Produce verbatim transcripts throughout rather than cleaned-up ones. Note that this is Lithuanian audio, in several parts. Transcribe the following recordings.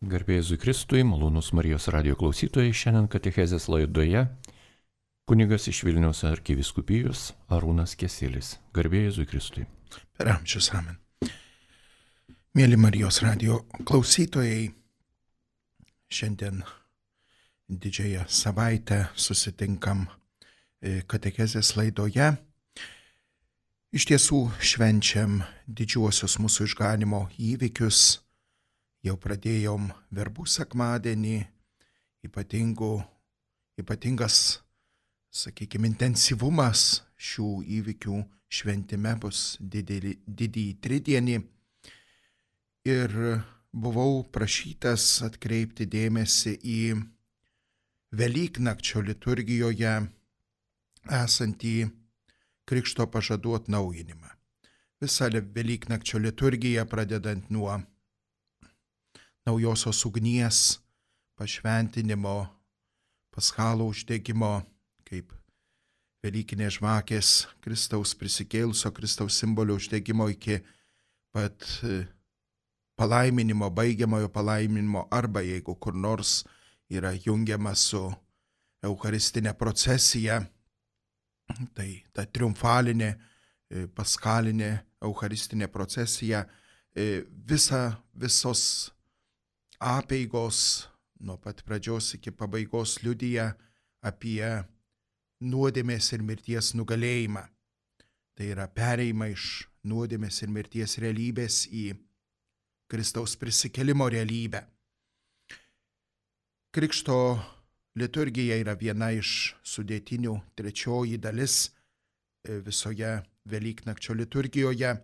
Garbė Jėzui Kristui, malonūs Marijos radijo klausytojai, šiandien katechezės laidoje kunigas iš Vilniaus arkivyskupijos Arūnas Keselis. Garbė Jėzui Kristui. Per amžius amen. Mėly Marijos radijo klausytojai, šiandien didžiąją savaitę susitinkam katechezės laidoje. Iš tiesų švenčiam didžiuosius mūsų išganimo įvykius. Jau pradėjom verbų sekmadienį, ypatingų, ypatingas, sakykime, intensyvumas šių įvykių šventime bus didį, didįjį tridienį. Ir buvau prašytas atkreipti dėmesį į Velyknakčio liturgijoje esantį Krikšto pažadų atnaujinimą. Visą Velyknakčio liturgiją pradedant nuo naujosios ugnies pašventinimo, paschalo uždegimo, kaip Velykinės žvakės Kristaus prisikėlusio Kristaus simbolio uždegimo iki pat palaiminimo, baigiamojo palaiminimo, arba jeigu kur nors yra jungiama su eucharistinė procesija, tai ta triumfalinė, paskalinė eucharistinė procesija, visa, visos apeigos nuo pat pradžios iki pabaigos liudija apie nuodėmės ir mirties nugalėjimą. Tai yra pereimą iš nuodėmės ir mirties realybės į Kristaus prisikėlimo realybę. Krikšto liturgija yra viena iš sudėtinių, trečioji dalis visoje Velyknakčio liturgijoje.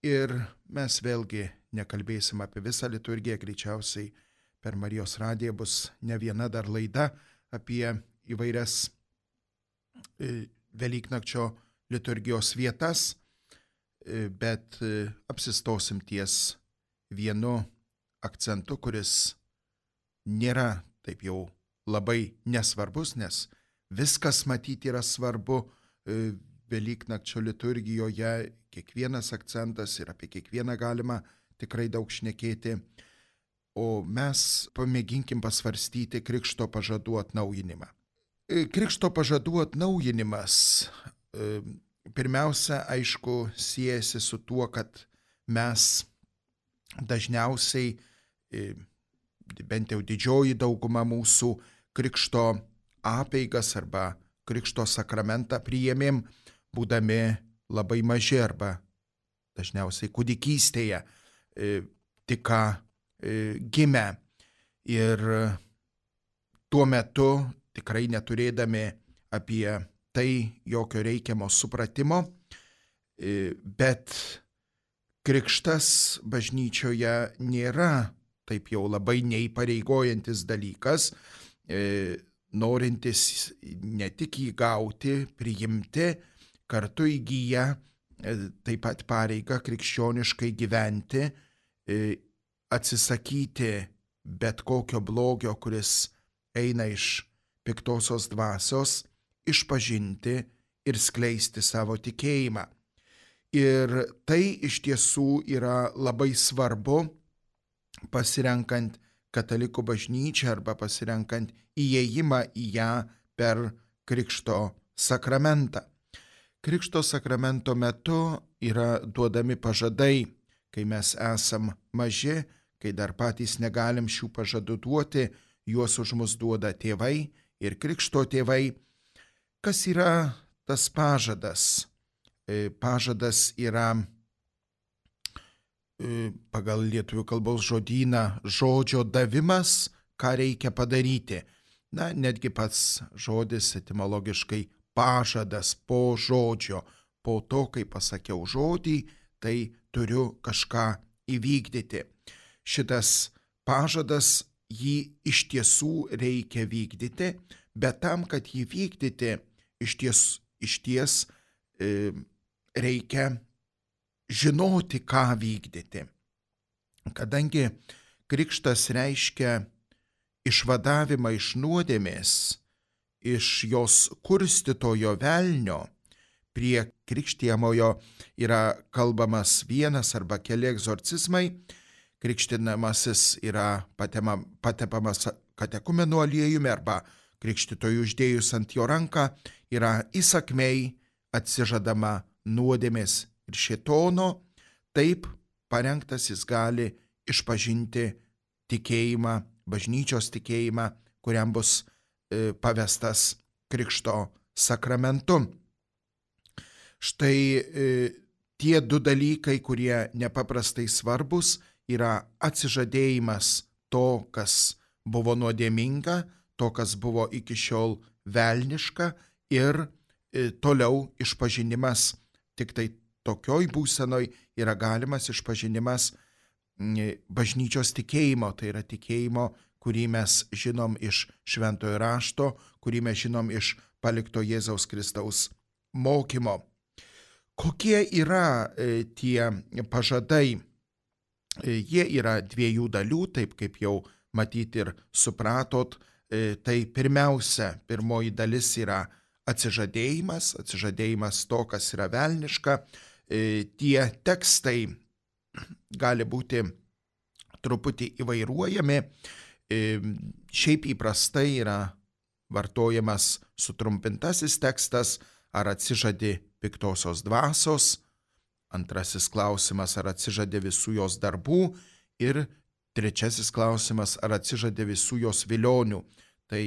Ir mes vėlgi nekalbėsim apie visą liturgiją, greičiausiai per Marijos radiją bus ne viena dar laida apie įvairias Velyknakčio liturgijos vietas, bet apsistosim ties vienu akcentu, kuris nėra taip jau labai nesvarbus, nes viskas matyti yra svarbu Velyknakčio liturgijoje, kiekvienas akcentas ir apie kiekvieną galima tikrai daug šnekėti, o mes pamėginkim pasvarstyti Krikšto pažadų atnaujinimą. Krikšto pažadų atnaujinimas pirmiausia, aišku, siejasi su tuo, kad mes dažniausiai, bent jau didžioji dauguma mūsų, Krikšto apeigas arba Krikšto sakramentą priėmėm, būdami labai maži arba dažniausiai kūdikystėje, tik ką gimę. Ir tuo metu tikrai neturėdami apie tai jokio reikiamo supratimo, bet krikštas bažnyčioje nėra taip jau labai neįpareigojantis dalykas, norintis ne tik įgauti, priimti, kartu įgyja taip pat pareigą krikščioniškai gyventi, atsisakyti bet kokio blogio, kuris eina iš piktosios dvasios, išpažinti ir skleisti savo tikėjimą. Ir tai iš tiesų yra labai svarbu, pasirenkant katalikų bažnyčią arba pasirenkant įėjimą į ją per Krikšto sakramentą. Krikšto sakramento metu yra duodami pažadai, kai mes esam maži, kai dar patys negalim šių pažadų duoti, juos už mus duoda tėvai ir Krikšto tėvai. Kas yra tas pažadas? Pažadas yra pagal lietuvių kalbos žodyną žodžio davimas, ką reikia padaryti. Na, netgi pats žodis etimologiškai pažadas, po žodžio, po to, kai pasakiau žodį, tai turiu kažką įvykdyti. Šitas pažadas, jį iš tiesų reikia vykdyti, bet tam, kad jį vykdyti, iš ties, iš ties e, reikia žinoti, ką vykdyti. Kadangi krikštas reiškia išvadavimą iš nuodėmės, iš jos kurstytojo velnio, prie krikštijamojo yra kalbamas vienas arba keli egzorcizmai, krikštinamasis yra patema, patepamas katekumeno aliejumi arba krikštytojui uždėjus ant jo ranką yra įsakmiai atsižadama nuodėmės ir šėtono, taip parengtas jis gali išpažinti tikėjimą, bažnyčios tikėjimą, kuriam bus e, pavestas krikšto sakramentu. Štai e, tie du dalykai, kurie nepaprastai svarbus, yra atsižadėjimas to, kas buvo nuodėminga, to, kas buvo iki šiol velniška ir e, toliau išpažinimas. Tik tai tokioj būsenoj yra galimas išpažinimas e, bažnyčios tikėjimo, tai yra tikėjimo, kurį mes žinom iš šventojo rašto, kurį mes žinom iš palikto Jėzaus Kristaus mokymo. Kokie yra e, tie pažadai? E, jie yra dviejų dalių, taip kaip jau matyti ir supratot. E, tai pirmiausia, pirmoji dalis yra atsižadėjimas, atsižadėjimas to, kas yra velniška. E, tie tekstai gali būti truputį įvairuojami. E, šiaip įprastai yra vartojamas sutrumpintasis tekstas, ar atsižadi piktosios dvasios, antrasis klausimas, ar atsižadi visų jos darbų ir trečiasis klausimas, ar atsižadi visų jos vilionių. Tai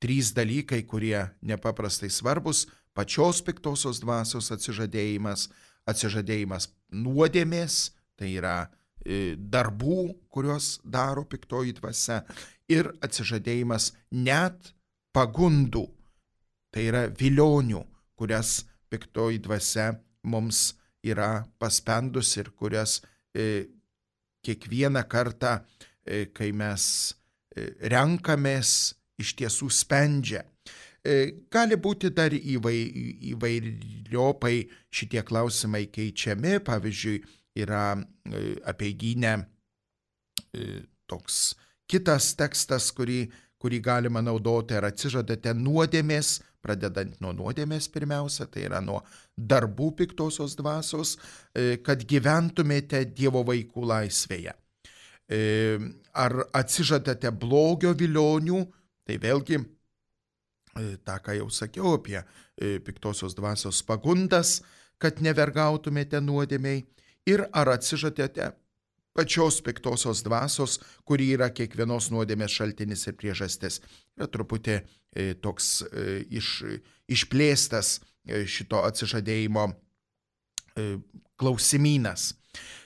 trys dalykai, kurie nepaprastai svarbus: pačios piktosios dvasios atsižadėjimas, atsižadėjimas nuodėmės, tai yra e, darbų, kuriuos daro piktoji dvasia, ir atsižadėjimas net pagundų, tai yra vilionių, kurias piktoji dvasia mums yra paspendus ir kurias e, kiekvieną kartą, e, kai mes e, renkamės, iš tiesų spendžia. E, gali būti dar įvai, įvairiopai šitie klausimai keičiami. Pavyzdžiui, yra e, apeigynė e, toks kitas tekstas, kurį, kurį galima naudoti, ar atsižadate nuodėmės, pradedant nuo nuodėmės pirmiausia, tai yra nuo darbų piktosios dvasios, kad gyventumėte Dievo vaikų laisvėje. Ar atsižadate blogio vilionių, tai vėlgi tą, ką jau sakiau apie piktosios dvasios pagundas, kad nevergautumėte nuodėmei, ir ar atsižadate pačios piktosios dvasios, kuri yra kiekvienos nuodėmės šaltinis ir priežastis. Yra truputį e, toks e, iš, išplėstas e, šito atsižadėjimo e, klausimynas.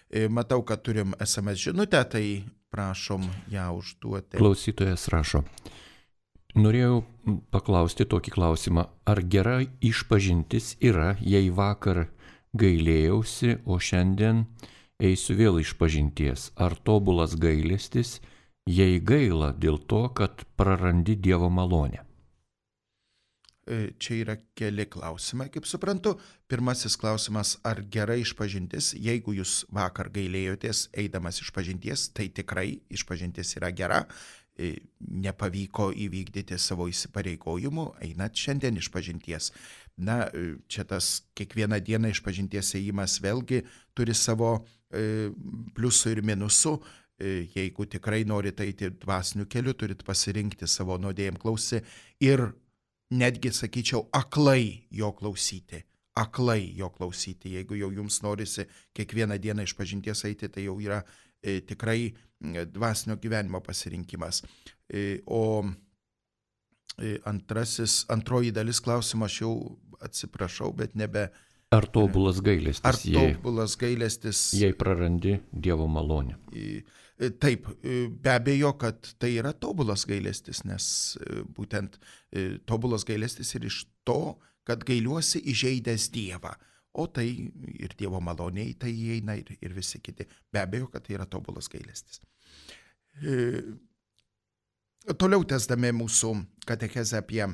E, matau, kad turim es em es žinutę, tai prašom ją užduoti. Klausytojas rašo: norėjau paklausti tokį klausimą, ar gera išpažintis yra, jei vakar gailėjausi, o šiandien eisiu vėl išpažinties? Ar tobulas gailestis, jei gaila dėl to, kad prarandi Dievo malonę? Čia yra keli klausimai, kaip suprantu. Pirmasis klausimas, ar gera išpažintis? Jeigu jūs vakar gailėjotės eidamas išpažinties, tai tikrai išpažintis yra gera. Nepavyko įvykdyti savo įsipareigojimų, einat šiandien išpažinties. Na, čia tas kiekvieną dieną išpažinties ėjimas vėlgi turi savo e, pliusų ir minusų. E, jeigu tikrai norite eiti dvasiniu keliu, turit pasirinkti savo nuodėjim klausį ir netgi, sakyčiau, aklai jo klausyti. Aklai jo klausyti. Jeigu jau jums norisi kiekvieną dieną išpažinties eiti, tai jau yra e, tikrai dvasinio gyvenimo pasirinkimas. E, o e, antrasis, antroji dalis klausimo, aš jau atsiprašau, bet nebe... Ar tobulas gailestis, ar tobulas gailestis, jei prarandi Dievo malonę? E, taip, e, be abejo, kad tai yra tobulas gailestis, nes e, būtent e, tobulas gailestis ir iš to, kad gailiuosi įžeidęs Dievą. O tai ir Dievo maloniai tai įeina ir, ir visi kiti. Be abejo, kad tai yra tobulas gailestis. E, toliau tęsdami mūsų katechezę apie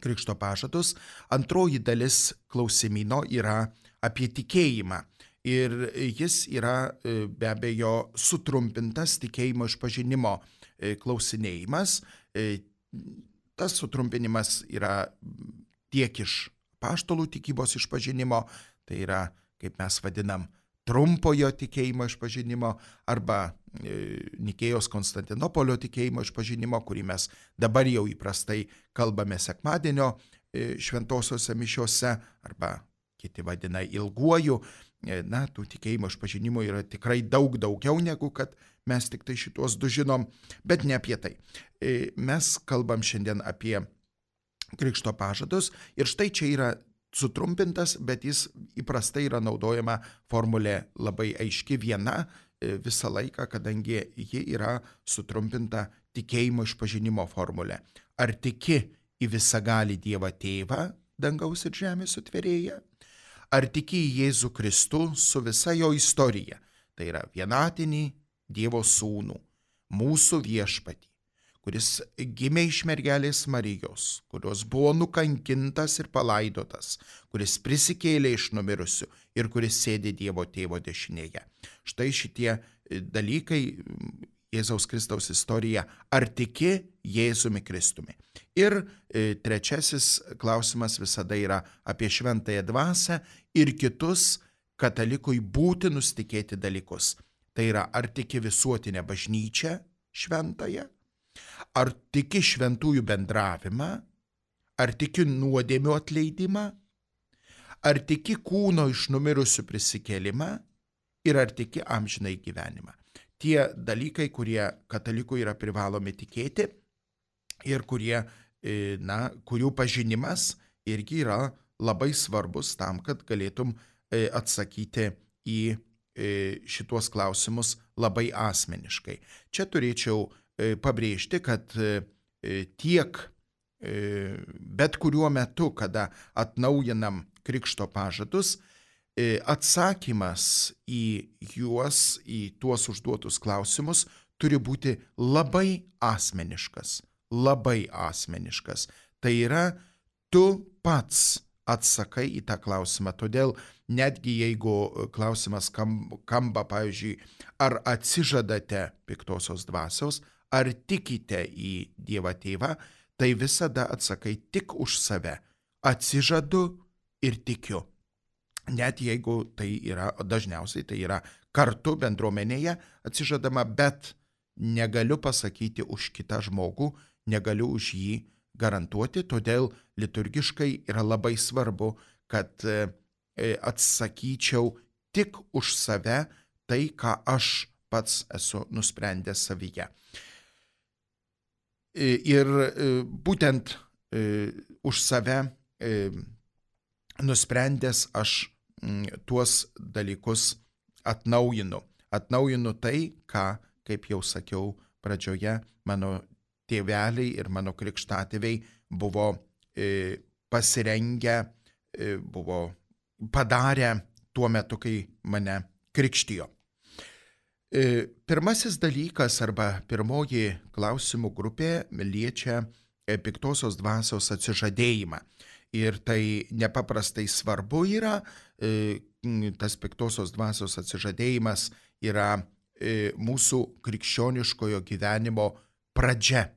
krikšto pažadus, antroji dalis klausimino yra apie tikėjimą. Ir jis yra be abejo sutrumpintas tikėjimo išpažinimo klausinėjimas. Tas sutrumpinimas yra tiek iš apaštalų tikybos išpažinimo, tai yra, kaip mes vadinam, trumpojo tikėjimo išpažinimo arba Nikėjos Konstantinopolio tikėjimo išpažinimo, kurį mes dabar jau įprastai kalbame sekmadienio šventosiuose mišiuose arba kiti vadina ilguoju. Na, tų tikėjimo išpažinimų yra tikrai daug daugiau negu kad mes tik tai šitos du žinom, bet ne apie tai. Mes kalbam šiandien apie krikšto pažadus ir štai čia yra sutrumpintas, bet jis įprastai yra naudojama formulė labai aiški viena visą laiką, kadangi ji yra sutrumpinta tikėjimo išpažinimo formulė. Ar tiki į visagalį Dievą Tėvą, dangaus ir žemės sutvėrėją? Ar tiki į Jėzų Kristų su visa jo istorija, tai yra vienatinį Dievo sūnų, mūsų viešpatį, kuris gimė iš mergelės Marijos, kurios buvo nukankintas ir palaidotas, kuris prisikėlė iš numirusių ir kuris sėdi Dievo Tėvo dešinėje. Štai šitie dalykai, Jėzaus Kristaus istorija, ar tiki Jėzumi Kristumi. Ir e, trečiasis klausimas visada yra apie šventąją dvasią ir kitus katalikui būtinus tikėti dalykus. Tai yra, ar tiki visuotinę bažnyčią šventąją, ar tiki šventųjų bendravimą, ar tiki nuodėmių atleidimą, ar tiki kūno iš numirusių prisikėlimą ir ar tiki amžinai gyvenimą. Tie dalykai, kurie katalikui yra privalomi tikėti ir kurie, na, kurių pažinimas irgi yra labai svarbus tam, kad galėtum atsakyti į šituos klausimus labai asmeniškai. Čia turėčiau pabrėžti, kad tiek bet kuriuo metu, kada atnaujinam krikšto pažadus, atsakymas į juos, į tuos užduotus klausimus turi būti labai asmeniškas, labai asmeniškas. Tai yra, tu pats atsakai į tą klausimą. Todėl netgi jeigu klausimas kamba, pavyzdžiui, ar atsižadate piktosios dvasios, ar tikite į Dievą Tėvą, tai visada atsakai tik už save. Atsižadu ir tikiu. Net jeigu tai yra, dažniausiai tai yra kartu bendruomenėje atsižadama, bet negaliu pasakyti už kitą žmogų, negaliu už jį garantuoti, todėl liturgiškai yra labai svarbu, kad atsakyčiau tik už save tai, ką aš pats esu nusprendęs savyje. Ir būtent už save nusprendęs aš tuos dalykus atnaujinu. Atnaujinu tai, ką, kaip jau sakiau pradžioje, mano tėveliai ir mano krikštatėviai buvo e, pasirengę, e, buvo padarę tuo metu, kai mane krikštijo. E, pirmasis dalykas arba pirmoji klausimų grupė liečia e, piktosios dvasios atsižadėjimą. Ir tai nepaprastai svarbu yra, e, tas piktosios dvasios atsižadėjimas yra e, mūsų krikščioniškojo gyvenimo pradžia.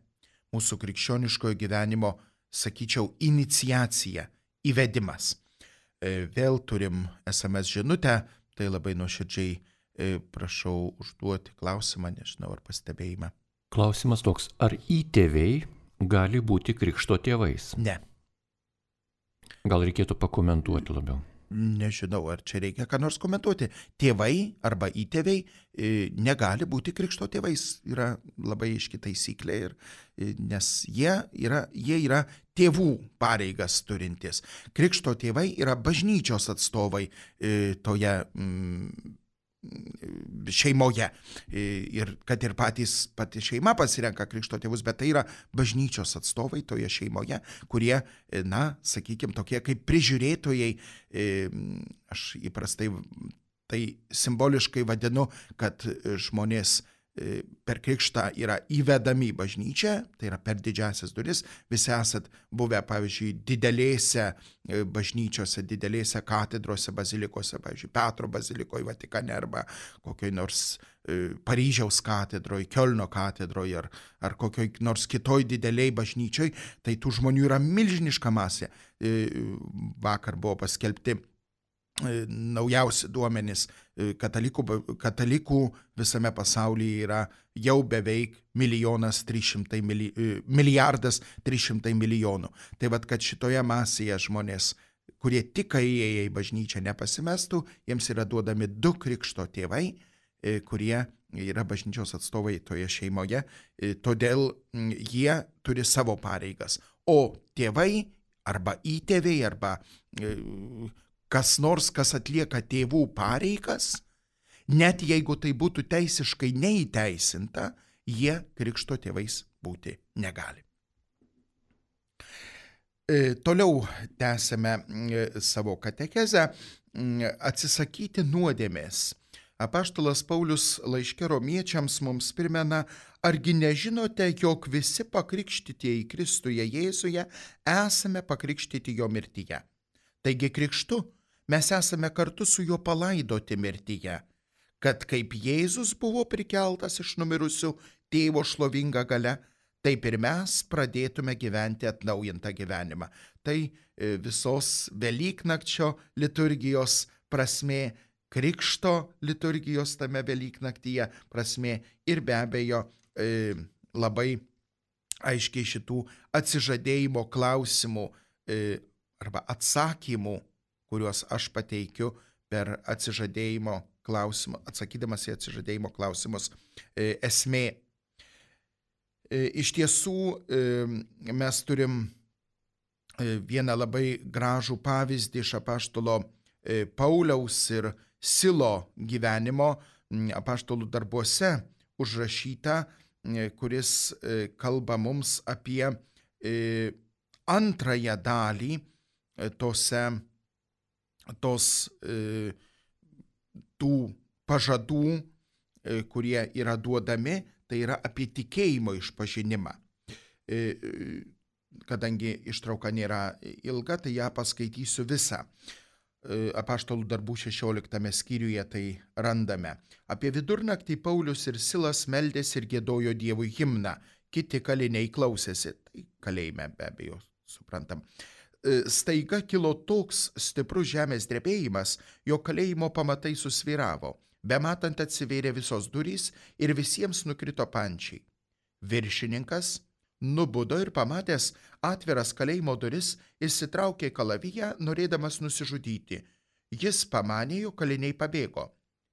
Mūsų krikščioniškojo gyvenimo, sakyčiau, iniciacija, įvedimas. E, vėl turim es em es žinutę, tai labai nuoširdžiai e, prašau užduoti klausimą, nežinau ar pastebėjimą. Klausimas toks, ar įtėviai gali būti krikšto tėvais? Ne. Gal reikėtų pakomentuoti labiau? Nežinau, ar čia reikia ką nors komentuoti. Tėvai arba įtėviai e, negali būti krikšto tėvais. Yra labai aiški taisyklė, ir, e, nes jie yra, jie yra tėvų pareigas turintys. Krikšto tėvai yra bažnyčios atstovai e, toje mm, šeimoje. E, ir kad ir patys, pati šeima pasirenka krikšto tėvus, bet tai yra bažnyčios atstovai toje šeimoje, kurie, na, sakykime, tokie kaip prižiūrėtojai, e, aš įprastai tai simboliškai vadinu, kad žmonės per krikštą yra įvedami į bažnyčią, tai yra per didžiasias duris. Visi esat buvę, pavyzdžiui, didelėse bažnyčiose, didelėse katedrose, bazilikose, pavyzdžiui, Petro bazilikoje Vatikane arba kokioj nors Paryžiaus katedroje, Kiolno katedroje ar, ar kokioj nors kitoj dideliai bažnyčioj, tai tų žmonių yra milžiniška masė. Vakar buvo paskelbti naujausi duomenys, katalikų, katalikų visame pasaulyje yra jau beveik milijonas trys šimtai mili, milijardas trys šimtai milijonų. Tai vad, kad šitoje masėje žmonės, kurie tik įėję į bažnyčią, nepasimestų, jiems yra duodami du krikšto tėvai, kurie yra bažnyčios atstovai toje šeimoje, todėl jie turi savo pareigas. O tėvai arba įtėviai arba kas nors, kas atlieka tėvų pareigas, net jeigu tai būtų teisiškai neįteisinta, jie krikšto tėvais būti negali. E, toliau tęsime e, savo katekezę. Atsisakyti nuodėmės. Apaštalas Paulius laiške romiečiams mums primena, argi nežinote, jog visi pakrikštytieji Kristuje Jėzuje esame pakrikštyti jo mirtyje. Taigi krikštu mes esame kartu su juo palaidoti mirtyje, kad kaip Jėzus buvo prikeltas iš numirusių tėvo šlovinga galia, taip ir mes pradėtume gyventi atnaujintą gyvenimą. Tai visos Velyknakčio liturgijos prasmė, krikšto liturgijos tame Velyknaktyje prasmė ir be abejo e, labai aiškiai šitų atsižadėjimo klausimų e, arba atsakymų, kuriuos aš pateikiu per atsižadėjimo klausimą, atsakydamas į atsižadėjimo klausimus, e, esmė. E, iš tiesų e, mes turim e, vieną labai gražų pavyzdį iš apaštalo e, Pauliaus ir Silo gyvenimo apaštalų darbuose užrašyta, e, kuris e, kalba mums apie e, antrąją dalį e, tose tos e, tų pažadų, e, kurie yra duodami, tai yra apie tikėjimo išpažinimą. E, kadangi ištrauka nėra ilga, tai ją paskaitysiu visą. E, apaštalų darbų šešioliktame skyriuje tai randame. Apie vidurnaktį Paulius ir Silas meldėsi ir giedojo Dievui himną. Kiti kaliniai klausėsi, tai kalėjime be abejo, suprantam. Staiga kilo toks stiprus žemės drebėjimas, jo kalėjimo pamatai susvyravo. Bematant atsivėrė visos durys ir visiems nukrito pančiai. Viršininkas nubudo ir pamatęs atviras kalėjimo duris, išsitraukė kalaviją, norėdamas nusižudyti. Jis pamanė, jog kaliniai pabėgo.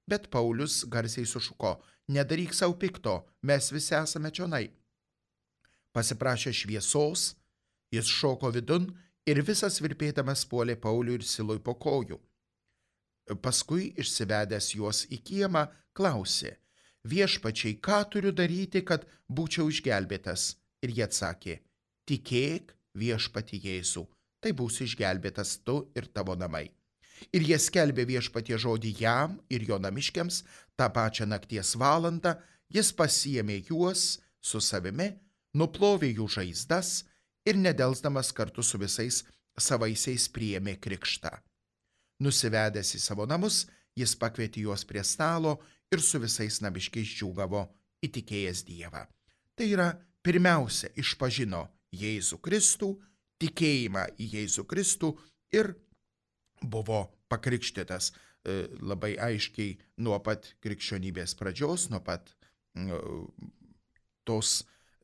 Bet Paulius garsiai sušuko, nedaryk savo pikto, mes visi esame čionai. Pasiprašė šviesos, jis šoko vidun ir visas virpėdamas puolė Pauliui ir Silui po kojų. Paskui, išsivedęs juos į kiemą, klausė, viešpačiai, ką turiu daryti, kad būčiau išgelbėtas? Ir jie atsakė, tikėk viešpatį Jėzų, tai būsi išgelbėtas tu ir tavo namai. Ir jie skelbė viešpatie žodį jam ir jo namiškiams, tą pačią nakties valandą, jis pasiėmė juos su savimi, nuplovė jų žaizdas ir nedelsdamas kartu su visais savaisiais priėmė krikštą. Nusivedęs į savo namus, jis pakvietė juos prie stalo ir su visais namiškiais džiūgavo įtikėjęs Dievą. Tai yra, pirmiausia, išpažino Jėzų Kristų, tikėjimą į Jėzų Kristų ir buvo pakrikštytas e, labai aiškiai nuo pat krikščionybės pradžios, nuo pat e, tos,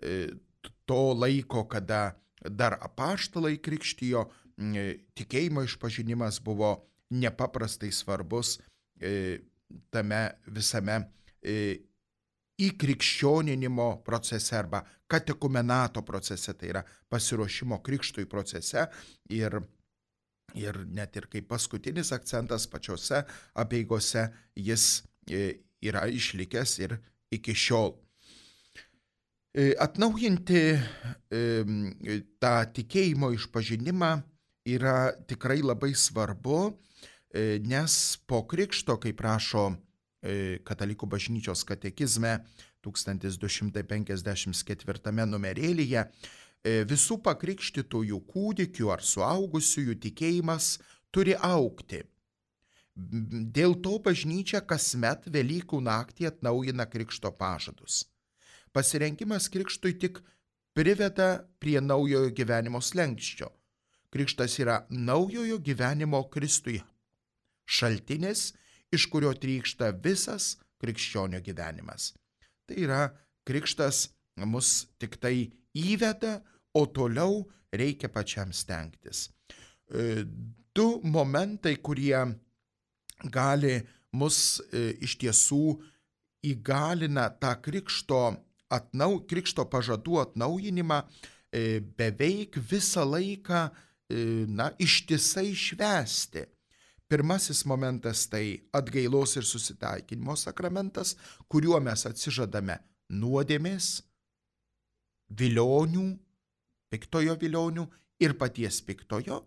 e, to laiko, kada dar apaštalai krikštijo, e, tikėjimo išpažinimas buvo nepaprastai svarbus e, tame visame e, įkrikščioninimo procese arba katekumenato procese, tai yra pasiruošimo krikštui procese ir, ir net ir kaip paskutinis akcentas pačiose apeigose jis e, yra išlikęs ir iki šiol. E, atnaujinti e, tą tikėjimo išpažinimą yra tikrai labai svarbu, nes po krikšto, kaip rašo Katalikų bažnyčios katekizme tūkstantis du šimtai penkiasdešimt ketvirtame numerėlyje, visų pakrikštytųjų kūdikių ar suaugusiųjų tikėjimas turi augti. Dėl to bažnyčia kasmet Velykų naktį atnaujina krikšto pažadus. Pasirengimas krikštui tik priveda prie naujojo gyvenimo slenksčio. Krikštas yra naujojo gyvenimo Kristuje šaltinis, iš kurio trykšta visas krikščionio gyvenimas. Tai yra, krikštas mus tik tai įveda, o toliau reikia pačiam stengtis. Du momentai, kurie gali mus iš tiesų įgalina tą krikšto, atnau, krikšto pažadų atnaujinimą beveik visą laiką, na, ištisai švęsti. Pirmasis momentas tai atgailos ir susitaikinimo sakramentas, kuriuo mes atsižadame nuodėmės, vilionių, piktojo vilionių ir paties piktojo.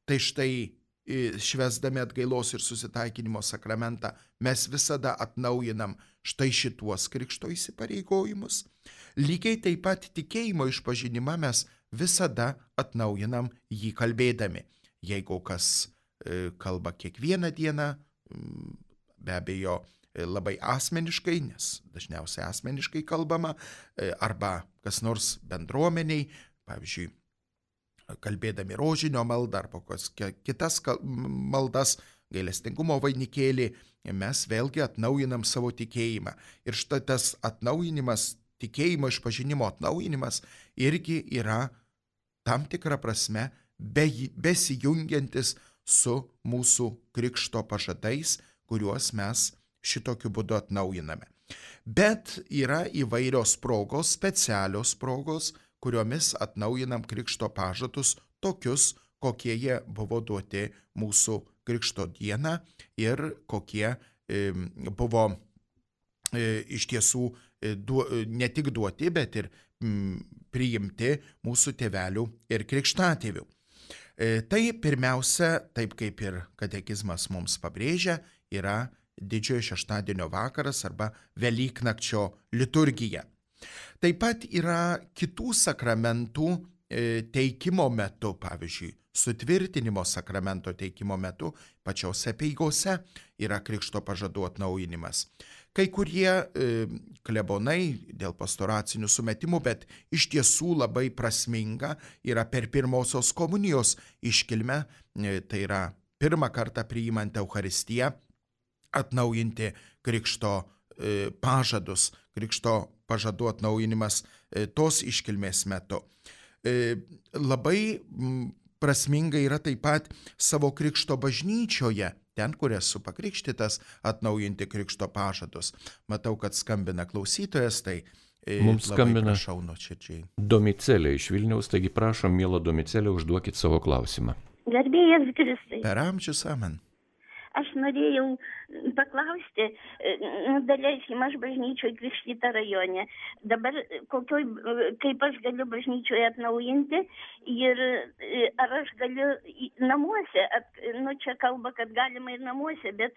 Tai štai švęsdami atgailos ir susitaikinimo sakramentą mes visada atnaujinam štai šituos krikšto įsipareigojimus. Lygiai taip pat tikėjimo išpažinimą mes visada atnaujinam jį kalbėdami. Jeigu kas kalba kiekvieną dieną, be abejo labai asmeniškai, nes dažniausiai asmeniškai kalbama, arba kas nors bendruomeniai, pavyzdžiui, kalbėdami rožinio maldą arba kitas maldas, gailestingumo vainikėlį, mes vėlgi atnaujinam savo tikėjimą. Ir štai tas atnaujinimas, tikėjimo išpažinimo atnaujinimas irgi yra tam tikra prasme be, besijungiantis su mūsų krikšto pažadais, kuriuos mes šitokiu būdu atnaujiname. Bet yra įvairios progos, specialios progos, kuriomis atnaujinam krikšto pažadus tokius, kokie jie buvo duoti mūsų krikšto dieną ir kokie e, buvo e, iš tiesų e, du, ne tik duoti, bet ir m, priimti mūsų tėvelių ir krikštatėvių. Tai pirmiausia, taip kaip ir katekizmas mums pabrėžia, yra didžiojo šeštadienio vakaras arba Velyknakčio liturgija. Taip pat yra kitų sakramentų teikimo metu, pavyzdžiui, sutvirtinimo sakramento teikimo metu, pačiose apeigose yra krikšto pažadų atnaujinimas. Kai kurie e, klebonai dėl pastoracinių sumetimų, bet iš tiesų labai prasminga yra per pirmosios komunijos iškilmę, e, tai yra pirmą kartą priimant Eucharistiją, atnaujinti krikšto e, pažadus, krikšto pažadų atnaujinimas e, tos iškilmės metu. E, labai m, prasminga yra taip pat savo krikšto bažnyčioje, ten, kur esu pakrikštytas, atnaujinti krikšto pažadus. Matau, kad skambina klausytojas, tai e, mums skambina prašau nuoširdžiai. Domicelė iš Vilniaus, taigi prašom, miela Domicelė, užduokit savo klausimą. Garbėjas Kristai. Per amžius amen. Aš norėjau paklausti, daleiskim, aš bažnyčioje krikštyta rajone. Dabar kokioj, kaip aš galiu bažnyčioje atnaujinti ir ar aš galiu namuose, at, nu čia kalba, kad galima ir namuose, bet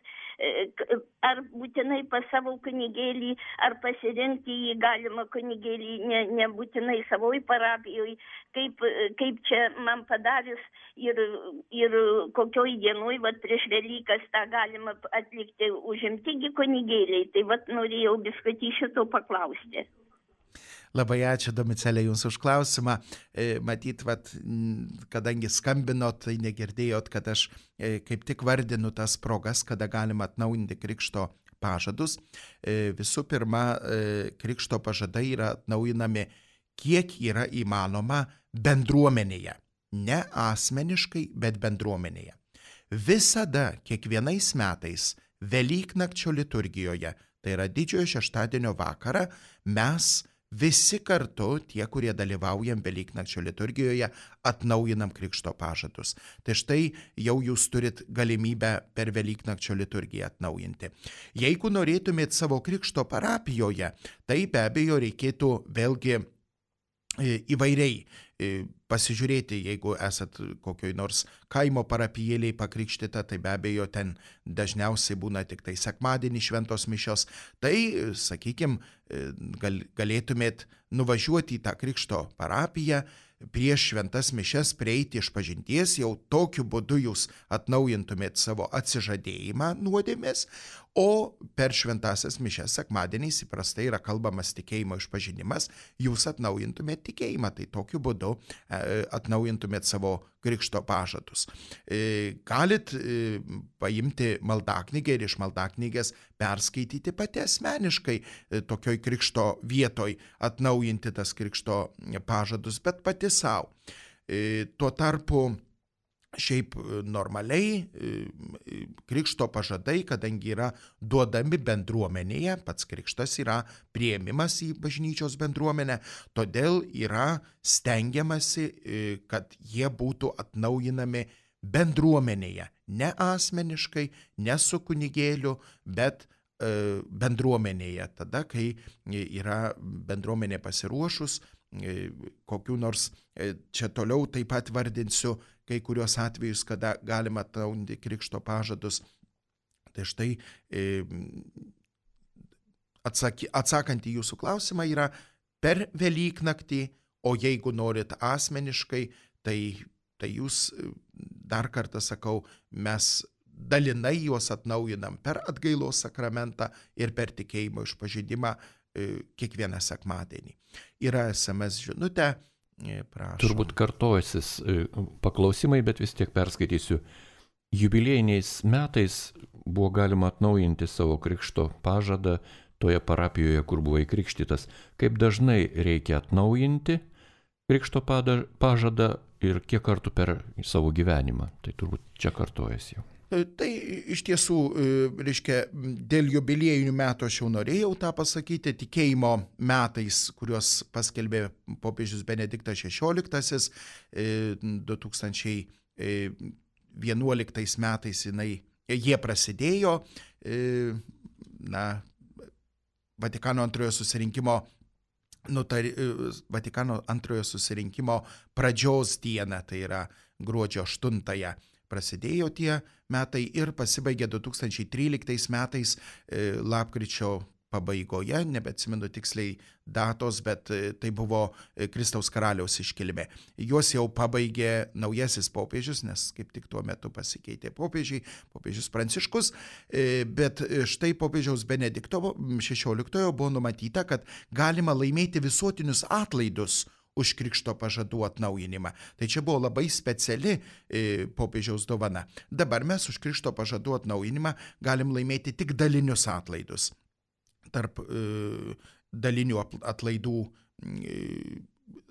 ar būtinai pas savo kunigėlį, ar pasirinkti jį galima kunigėlį, ne, nebūtinai savoj parapijoje, kaip, kaip čia man padarius ir, ir kokioj dienoj, vat prieš Velykas tą galima atlikti užimtigi kunigėliai. Tai vat norėjau biskutį šito paklausti. Labai ačiū, Domicelė, jums už klausimą. Matyt, vat, kadangi skambinot, tai negirdėjot, kad aš kaip tik vardinu tas progas, kada galima atnaujinti krikšto pažadus. Visų pirma, krikšto pažadai yra atnaujinami, kiek yra įmanoma bendruomenėje. Ne asmeniškai, bet bendruomenėje. Visada, kiekvienais metais, Velyknakčio liturgijoje, tai yra didžiojo šeštadienio vakarą, mes visi kartu, tie, kurie dalyvaujam Velyknakčio liturgijoje, atnaujinam krikšto pažadus. Tai štai jau jūs turit galimybę per Velyknakčio liturgiją atnaujinti. Jeigu norėtumėt savo krikšto parapijoje, tai be abejo reikėtų vėlgi įvairiai pasižiūrėti, jeigu esat kokioj nors kaimo parapijėliai pakrikštyta, tai be abejo ten dažniausiai būna tik tai sekmadienį šventos mišios, tai, sakykime, gal, galėtumėt nuvažiuoti į tą krikšto parapiją, prieš šventas mišias prieiti išpažinties, jau tokiu būdu jūs atnaujintumėt savo atsižadėjimą nuodėmės, O per šventasias mišias sekmadieniais įprastai yra kalbamas tikėjimo išpažinimas, jūs atnaujintumėt tikėjimą, tai tokiu būdu atnaujintumėt savo krikšto pažadus. Galit paimti maldaknygę ir iš maldaknygės perskaityti pati asmeniškai tokioj krikšto vietoj, atnaujinti tas krikšto pažadus, bet pati savo. Tuo tarpu šiaip normaliai krikšto pažadai, kadangi yra duodami bendruomenėje, pats krikštas yra priėmimas į bažnyčios bendruomenę, todėl yra stengiamasi, kad jie būtų atnaujinami bendruomenėje, ne asmeniškai, ne su kunigėliu, bet bendruomenėje, tada, kai yra bendruomenė pasiruošus, kokių nors, čia toliau taip pat vardinsiu, kai kurios atvejus, kada galima atnaujinti krikšto pažadus. Tai štai atsaky, atsakant į jūsų klausimą yra per Velyknaktį, o jeigu norit asmeniškai, tai, tai jūs, dar kartą sakau, mes dalinai juos atnaujinam per atgailos sakramentą ir per tikėjimo išpažinimą kiekvieną sekmadienį. Yra es em es žinutė, prašom. Turbūt kartojasis paklausimai, bet vis tiek perskaitysiu. Jubiliejiniais metais buvo galima atnaujinti savo krikšto pažadą toje parapijoje, kur buvai krikštytas. Kaip dažnai reikia atnaujinti krikšto pažadą ir kiek kartų per savo gyvenimą? Tai turbūt čia kartojasi jau. Tai iš tiesų, reiškia, dėl jubiliejinių metų aš jau norėjau tą pasakyti, tikėjimo metais, kuriuos paskelbė popiežius Benediktas šešioliktasis, du tūkstančiai vienuoliktais metais jinai, jie prasidėjo, na, Vatikano antrojo susirinkimo, nutar, Vatikano antrojo susirinkimo pradžios dieną, tai yra gruodžio aštuntąją. Prasidėjo tie metai ir pasibaigė du tūkstančiai tryliktais metais e, lapkričio pabaigoje, nebeatsimenu tiksliai datos, bet e, tai buvo e, Kristaus karaliaus iškilmė. Juos jau pabaigė naujasis popiežius, nes kaip tik tuo metu pasikeitė popiežiai, popiežius Pranciškus, e, bet štai popiežiaus Benedikto šešioliktojo buvo numatyta, kad galima laimėti visuotinius atlaidus už krikšto pažadų atnaujinimą. Tai čia buvo labai speciali e, popiežiaus dovana. Dabar mes už krikšto pažadų atnaujinimą galim laimėti tik dalinius atlaidus. Tarp e, dalinių atlaidų e,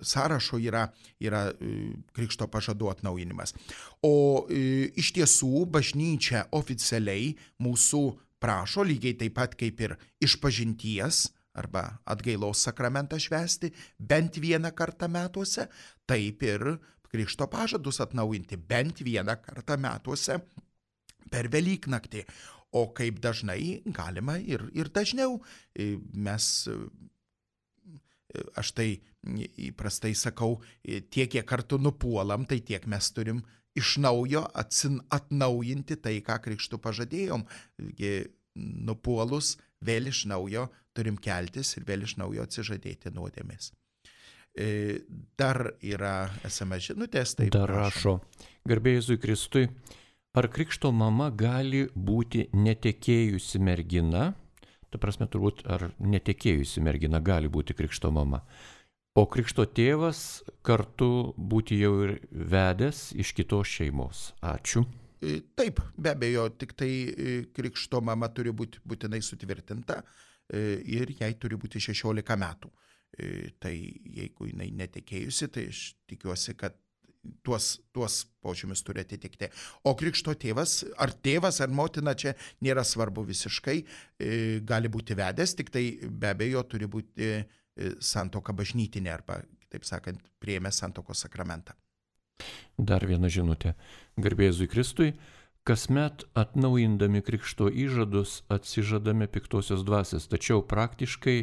sąrašo yra, yra e, krikšto pažadų atnaujinimas. O e, iš tiesų bažnyčia oficialiai mūsų prašo, lygiai taip pat kaip ir išpažinties, arba atgailos sakramentą švęsti bent vieną kartą metuose, taip ir krikšto pažadus atnaujinti bent vieną kartą metuose per Velyknaktį. O kaip dažnai galima ir, ir dažniau. Mes, aš tai įprastai sakau, tiek, kiek kartų nupuolam, tai tiek mes turim iš naujo atsin, atnaujinti tai, ką krikštu pažadėjom. Nupuolus vėl iš naujo turim keltis ir vėl iš naujo atsižadėti nuodėmės. Dar yra es em es žinutės. Taip, Dar rašo, garbė Jėzui Kristui, ar krikšto mama gali būti netekėjusi mergina? Ta prasme, turbūt, ar netekėjusi mergina gali būti krikšto mama. O krikšto tėvas kartu būti jau ir vedęs iš kitos šeimos. Ačiū. Taip, be abejo, tik tai krikšto mama turi būti būtinai sutvirtinta ir jai turi būti šešiolika metų. Tai jeigu jinai netekėjusi, tai aš tikiuosi, kad tuos, tuos požymius turi atitikti. O krikšto tėvas, ar tėvas, ar motina, čia nėra svarbu visiškai, gali būti vedęs, tik tai be abejo turi būti santuoka bažnytinė arba, taip sakant, priėmė santuokos sakramentą. Dar viena žinutė. Garbė Jėzui Kristui, kasmet atnaujindami krikšto įžadus atsižadame piktosios dvasios, tačiau praktiškai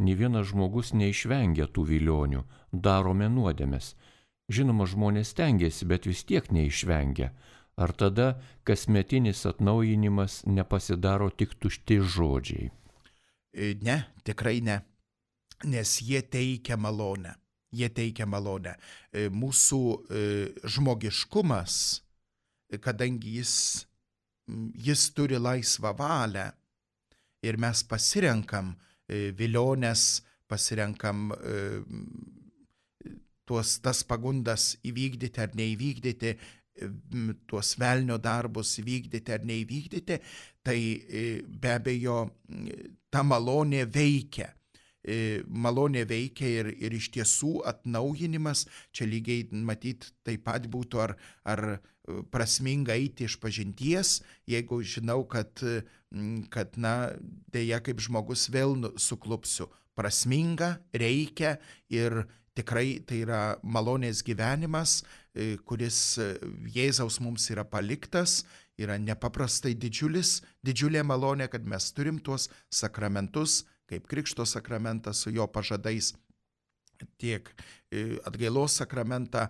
nė vienas žmogus neišvengia tų vilionių, darome nuodėmes. Žinoma, žmonės stengiasi, bet vis tiek neišvengia. Ar tada kasmetinis atnaujinimas nepasidaro tik tušti žodžiai? Ne, tikrai ne, nes jie teikia malonę. Jie teikia malonę. Mūsų žmogiškumas, kadangi jis, jis turi laisvą valią, ir mes pasirenkam vilionės, pasirenkam tuos tas pagundas įvykdyti ar neįvykdyti, tuos velnio darbus įvykdyti ar neįvykdyti, tai be abejo ta malonė veikia. Malonė veikia ir, ir iš tiesų atnaujinimas, čia lygiai matyt taip pat būtų ar, ar prasminga eiti iš pažinties, jeigu žinau, kad, kad na, dėja kaip žmogus vėl suklupsiu. Prasminga, reikia ir tikrai tai yra malonės gyvenimas, kuris Jėzaus mums yra paliktas, yra nepaprastai didžiulis, didžiulė malonė, kad mes turim tuos sakramentus, kaip Krikšto sakramentas su jo pažadais, tiek atgailos sakramentą,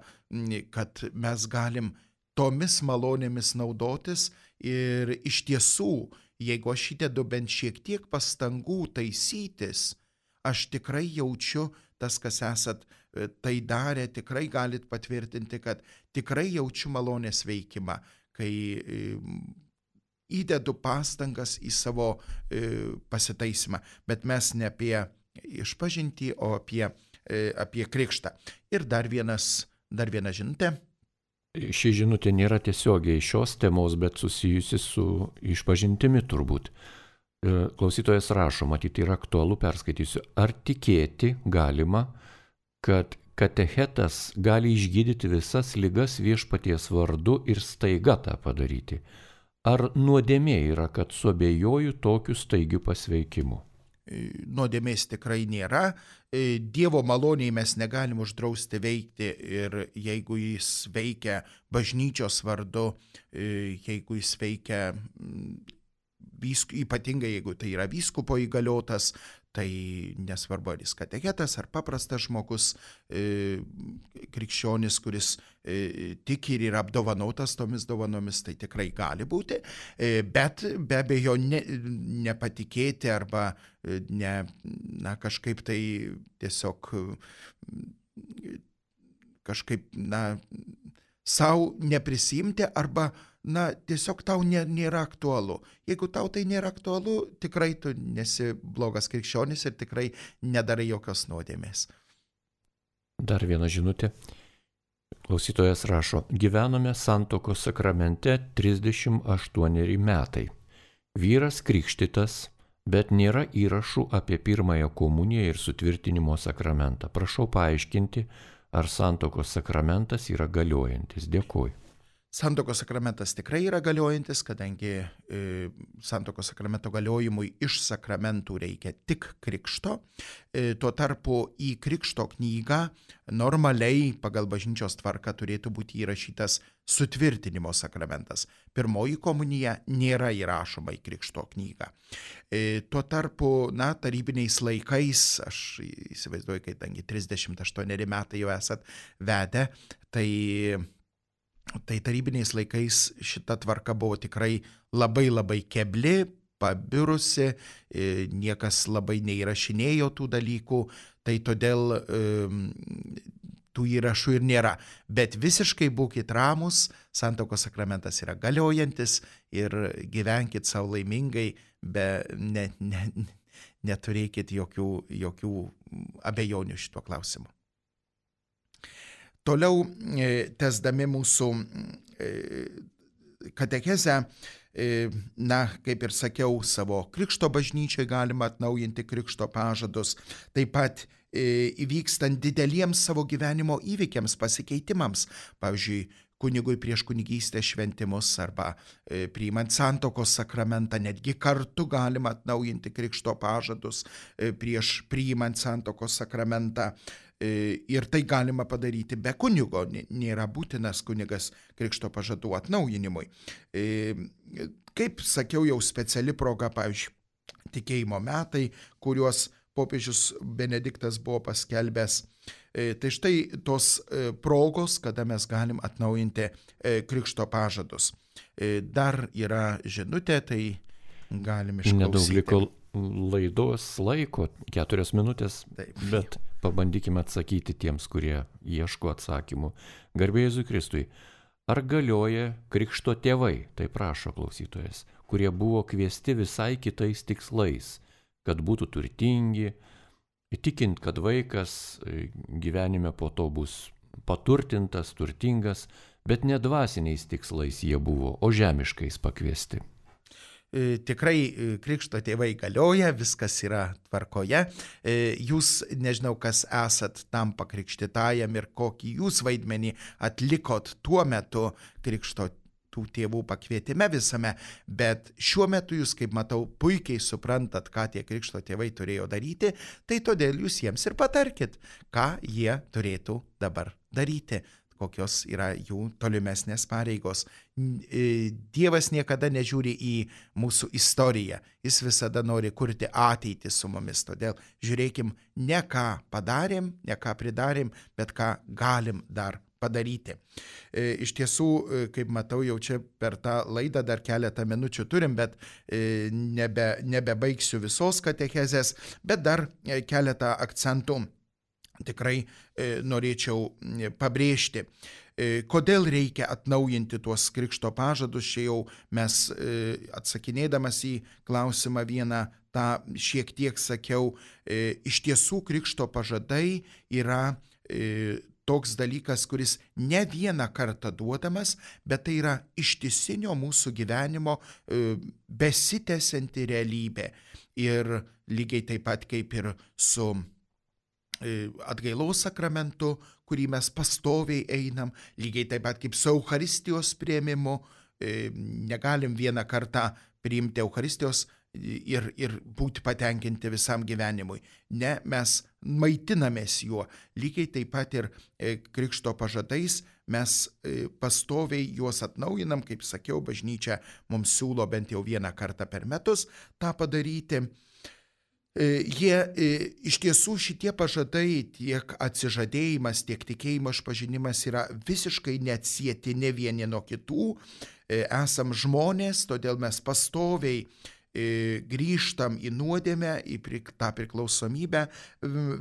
kad mes galim tomis malonėmis naudotis ir iš tiesų, jeigu aš įdedu bent šiek tiek pastangų taisytis, aš tikrai jaučiu, tas, kas esat tai darę, tikrai galit patvirtinti, kad tikrai jaučiu malonės veikimą, kai įdedu pastangas į savo pasitaisymą. Bet mes ne apie išpažintį, o apie, apie krikštą. Ir dar vienas, dar viena žinutė. Ši žinutė nėra tiesiogiai šios temos, bet susijusi su išpažintimi turbūt. Klausytojas rašo, matyt, yra aktualu, perskaitysiu. Ar tikėti galima, kad katechetas gali išgydyti visas ligas Viešpaties vardu ir staiga tą padaryti? Ar nuodėmė yra, kad suabejoju tokiu staigiu pasveikimu? Nuodėmės tikrai nėra. Dievo maloniai mes negalim uždrausti veikti ir jeigu jis veikia bažnyčios vardu, jeigu jis veikia ypatingai jeigu tai yra vyskupo įgaliotas, tai nesvarbu, ar jis katechetas, ar paprastas žmogus, e, krikščionis, kuris e, tiki ir yra apdovanotas tomis dovanomis, tai tikrai gali būti, e, bet be abejo ne, nepatikėti arba ne, na, kažkaip tai tiesiog kažkaip, na, savo neprisimti arba na, tiesiog tau nėra aktualu. Jeigu tau tai nėra aktualu, tikrai tu nesi blogas krikščionis ir tikrai nedarai jokios nuodėmės. Dar viena žinutė. Klausytojas rašo, gyvenome santuokos sakramente trisdešimt aštuoneri metai. Vyras krikštytas, bet nėra įrašų apie pirmąją komuniją ir sutvirtinimo sakramentą. Prašau paaiškinti, ar santuokos sakramentas yra galiojantis. Dėkuoju. Santuokos sakramentas tikrai yra galiojantis, kadangi e, santuokos sakramento galiojimui iš sakramentų reikia tik krikšto. E, tuo tarpu į krikšto knygą normaliai pagal bažnyčios tvarką turėtų būti įrašytas sutvirtinimo sakramentas. Pirmoji komunija nėra įrašoma į krikšto knygą. E, tuo tarpu, na, tarybiniais laikais, aš įsivaizduoju, kadangi trisdešimt aštuoneri metai jau esat vedę, tai Tai tarybiniais laikais šita tvarka buvo tikrai labai labai kebli, pabirusi, niekas labai neįrašinėjo tų dalykų, tai todėl tų įrašų ir nėra. Bet visiškai būkit ramus, santuokos sakramentas yra galiojantis ir gyvenkit savo laimingai, be ne, ne, neturėkit jokių, jokių abejonių šituo klausimu. Toliau, tęsdami mūsų katechezę, na, kaip ir sakiau, savo krikšto bažnyčiai galima atnaujinti krikšto pažadus, taip pat įvykstant dideliems savo gyvenimo įvykiams, pasikeitimams, pavyzdžiui, kunigui prieš kunigystės šventimus arba priimant santuokos sakramentą, netgi kartu galima atnaujinti krikšto pažadus prieš priimant santuokos sakramentą. Ir tai galima padaryti be kunigo, nėra būtinas kunigas krikšto pažadų atnaujinimui. Kaip sakiau, jau speciali proga, pavyzdžiui, tikėjimo metai, kuriuos popiežius Benediktas buvo paskelbęs. Tai štai tos progos, kada mes galim atnaujinti krikšto pažadus. Dar yra žinutė, tai galim išklausyti. Nedaug liko laidos laiko, keturios minutės, taip, bet pabandykime atsakyti tiems, kurie ieško atsakymų. Garbė Jėzui Kristui, ar galioja krikšto tėvai, tai prašo klausytojas, kurie buvo kviesti visai kitais tikslais, kad būtų turtingi, tikint, kad vaikas gyvenime po to bus paturtintas, turtingas, bet ne dvasiniais tikslais jie buvo, o žemiškais pakviesti. Tikrai krikšto tėvai galioja, viskas yra tvarkoje. Jūs, nežinau, kas esat tam pakrikštytajam ir kokį jūs vaidmenį atlikot tuo metu krikšto tų tėvų pakvietime visame, bet šiuo metu jūs, kaip matau, puikiai suprantat, ką tie krikšto tėvai turėjo daryti, tai todėl jūs jiems ir patarkit, ką jie turėtų dabar daryti, kokios yra jų tolimesnės pareigos. Dievas niekada nežiūri į mūsų istoriją, jis visada nori kurti ateitį su mumis, todėl žiūrėkim ne ką padarėm, ne ką pridarėm, bet ką galim dar padaryti. Iš tiesų, kaip matau, jau čia per tą laidą dar keletą minučių turim, bet nebe, nebebaigsiu visos katechezės, bet dar keletą akcentų tikrai norėčiau pabrėžti. Kodėl reikia atnaujinti tuos krikšto pažadus, čia jau mes atsakinėdamas į klausimą vieną tą šiek tiek sakiau, iš tiesų krikšto pažadai yra toks dalykas, kuris ne vieną kartą duodamas, bet tai yra ištisinio mūsų gyvenimo besitęsianti realybė. Ir lygiai taip pat kaip ir su atgailos sakramentu, kurį mes pastoviai einam, lygiai taip pat kaip su Eucharistijos priėmimu, negalim vieną kartą priimti Eucharistijos ir, ir būti patenkinti visam gyvenimui. Ne, mes maitinamės juo. Lygiai taip pat ir krikšto pažadais mes pastoviai juos atnaujinam, kaip sakiau, bažnyčia mums siūlo bent jau vieną kartą per metus tą padaryti. Jie iš tiesų šitie pažadai, tiek atsižadėjimas, tiek tikėjimo išpažinimas yra visiškai neatsieti ne vieni nuo kitų. Esam žmonės, todėl mes pastoviai grįžtam į nuodėmę, į tą priklausomybę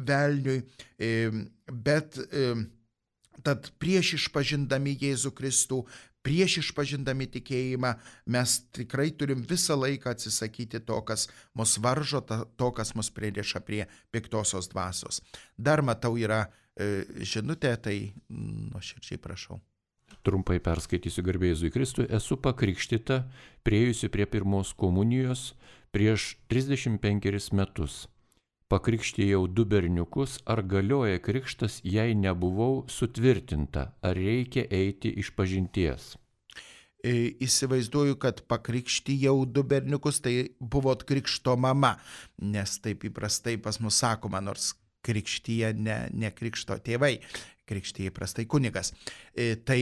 velniui, bet tad prieš išpažindami Jėzų Kristų, prieš išpažindami tikėjimą, mes tikrai turim visą laiką atsisakyti to, kas mus varžo, to, kas mus pririša prie piktosios dvasios. Dar matau yra e, žinutė, tai nuoširdžiai prašau. Trumpai perskaitysiu garbė Jėzui Kristui. Esu pakrikštyta, priėjusi prie pirmos komunijos prieš trisdešimt penkerius metus. Pakrikštijau du berniukus, ar galioja krikštas, jei nebuvau sutvirtinta, ar reikia eiti išpažinties? Įsivaizduoju, kad pakrikštijau du berniukus, tai buvot krikšto mama, nes taip įprastai pas mus sakoma, nors krikštyje ne, ne krikšto tėvai, krikštyje įprastai kunigas. Tai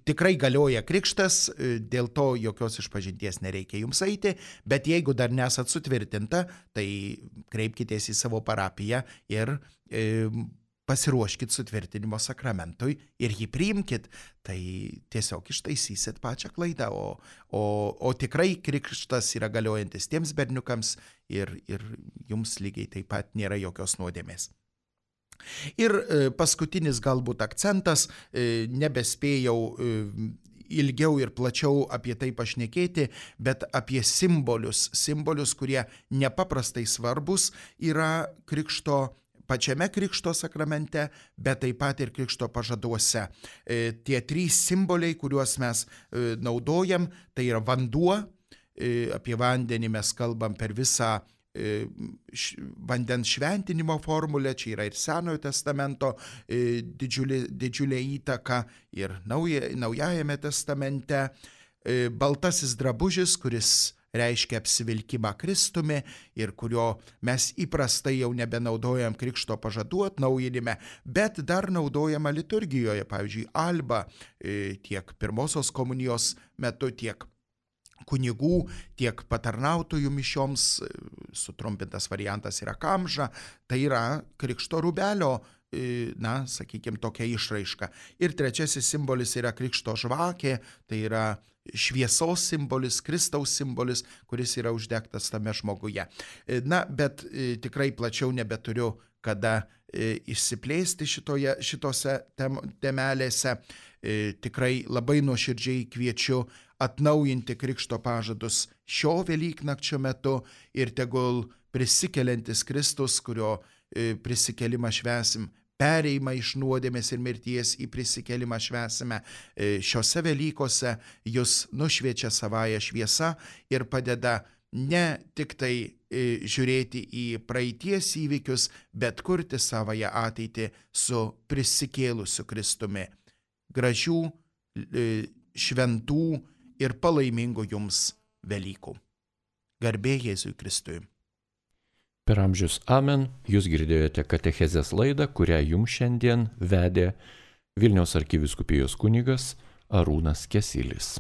tikrai galioja krikštas, dėl to jokios išpažinties nereikia jums eiti, bet jeigu dar nesat sutvirtinta, tai kreipkitės į savo parapiją ir pasiruoškit sutvirtinimo sakramentui ir jį priimkit, tai tiesiog ištaisysit pačią klaidą, o, o, o tikrai krikštas yra galiojantis tiems berniukams ir, ir jums lygiai taip pat nėra jokios nuodėmės. Ir paskutinis galbūt akcentas, nebespėjau ilgiau ir plačiau apie tai pašnekėti, bet apie simbolius, simbolius, kurie nepaprastai svarbus yra krikšto, pačiame krikšto sakramente, bet taip pat ir krikšto pažaduose. Tie trys simboliai, kuriuos mes naudojam, tai yra vanduo, apie vandenį mes kalbam per visą vandens šventinimo formulę, čia yra ir Senojo testamento didžiulė, didžiulė įtaka ir nauja, Naujajame testamente. Baltasis drabužis, kuris reiškia apsivilkimą Kristumi ir kurio mes įprastai jau nebenaudojam krikšto pažadų atnaujinime, bet dar naudojama liturgijoje, pavyzdžiui, alba tiek pirmosios komunijos metu, tiek kunigų, tiek patarnautojų mišioms, sutrumpintas variantas yra kamža, tai yra krikšto rūbelio, na, sakykime, tokia išraiška. Ir trečiasis simbolis yra krikšto žvakė, tai yra šviesos simbolis, Kristaus simbolis, kuris yra uždegtas tame žmoguje. Na, bet tikrai plačiau nebeturiu kada išsiplėsti šitoje, šitose tem, temelėse. Tikrai labai nuoširdžiai kviečiu atnaujinti krikšto pažadus šio Velyknakčio metu ir tegul prisikeliantis Kristus, kurio e, prisikelimą švęsim, pereimą iš nuodėmės ir mirties į prisikelimą švęsime e, šiose Velykose, jūs nušviečia savąją šviesą ir padeda ne tik tai e, žiūrėti į praeities įvykius, bet kurti savąją ateitį su prisikėlusiu Kristumi. Gražių, e, šventų ir palaimingų jums Velykų. Garbė Jėzui Kristui. Per amžius amen, jūs girdėjote katechezės laidą, kurią jums šiandien vedė Vilniaus arkivyskupijos kunigas Arūnas Kesilis.